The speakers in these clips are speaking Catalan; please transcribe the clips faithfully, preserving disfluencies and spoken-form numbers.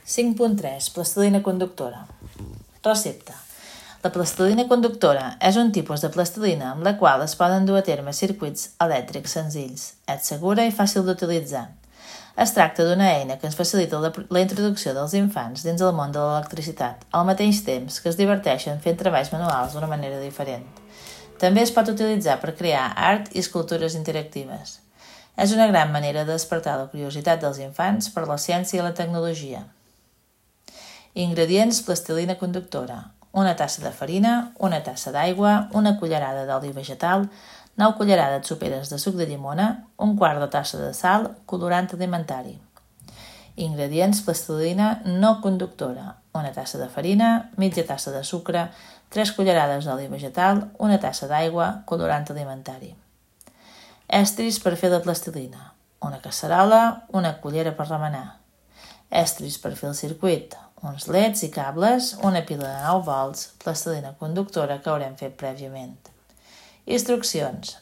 cinc punt tres. Plastilina conductora. Recepta. La plastilina conductora és un tipus de plastilina amb la qual es poden dur a terme circuits elèctrics senzills. És segura i fàcil d'utilitzar. Es tracta d'una eina que ens facilita la, la introducció dels infants dins el món de l'electricitat, al mateix temps que es diverteixen fent treballs manuals d'una manera diferent. També es pot utilitzar per crear art i escultures interactives. És una gran manera de despertar la curiositat dels infants per la ciència i la tecnologia. Ingredients: plastilina conductora, una tassa de farina, una tassa d'aigua, una cullerada d'oli vegetal, nou cullerades soperes de suc de llimona, un quart de tassa de sal, colorant alimentari. Ingredients: plastilina no conductora, una tassa de farina, mitja tassa de sucre, tres cullerades d'oli vegetal, una tassa d'aigua, colorant alimentari. Estris per fer la plastilina, una casserola, una cullera per remenar. Estris per fer el circuit, uns leds i cables, una pila de nou volts, plastilina conductora que haurem fet prèviament. Instruccions.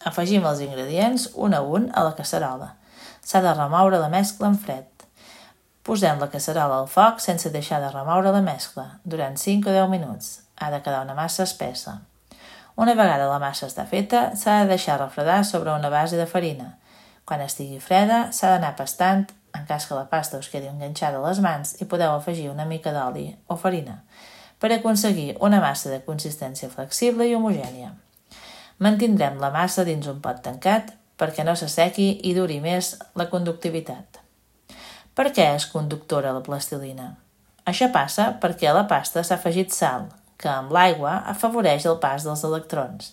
Afegim els ingredients un a un a la casserola. S'ha de remoure la mescla en fred. Posem la casserola al foc sense deixar de remoure la mescla, durant cinc o deu minuts. Ha de quedar una massa espessa. Una vegada la massa està feta, s'ha de deixar refredar sobre una base de farina. Quan estigui freda, s'ha d'anar pastant en cas que la pasta us quedi enganxada a les mans i podeu afegir una mica d'oli o farina per aconseguir una massa de consistència flexible i homogènia. Mantindrem la massa dins un pot tancat perquè no s'assequi i duri més la conductivitat. Per què és conductora la plastilina? Això passa perquè a la pasta s'ha afegit sal, que amb l'aigua afavoreix el pas dels electrons.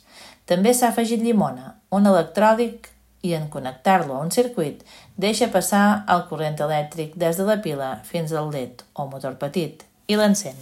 També s'ha afegit llimona, un electròlic, i en connectar-lo a un circuit deixa passar el corrent elèctric des de la pila fins al led o motor petit i l'encén.